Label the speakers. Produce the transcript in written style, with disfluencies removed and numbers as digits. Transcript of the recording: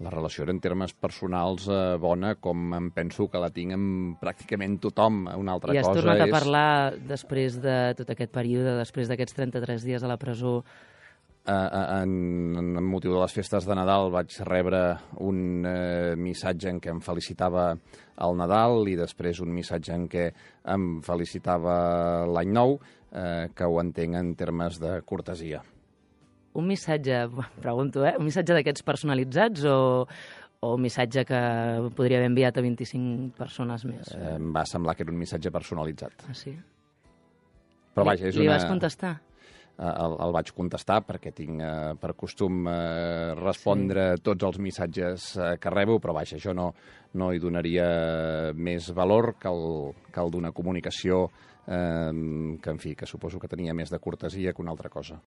Speaker 1: la relació era en termes personals bona, com em penso que la tinc amb pràcticament tothom. Una altra
Speaker 2: I has
Speaker 1: cosa
Speaker 2: tornat a parlar després de tot aquest període, després d'aquests 33 dies a la presó?
Speaker 1: En motiu de les festes de Nadal vaig rebre un missatge en què em felicitava el Nadal i després un missatge en què em felicitava l'Any Nou, que ho entenc en termes de cortesia.
Speaker 2: Un missatge, pregunto, un missatge d'aquests personalitzats o un missatge que podria haver enviat a 25 persones més?
Speaker 1: Em va semblar que era un missatge personalitzat.
Speaker 2: Ah, sí?
Speaker 1: Però vaja,
Speaker 2: Li vas contestar?
Speaker 1: El vaig contestar perquè tinc per costum respondre tots els missatges que rebo, però vaja, jo no hi donaria més valor que el d'una comunicació que, en fi, que suposo que tenia més de cortesia que una altra cosa.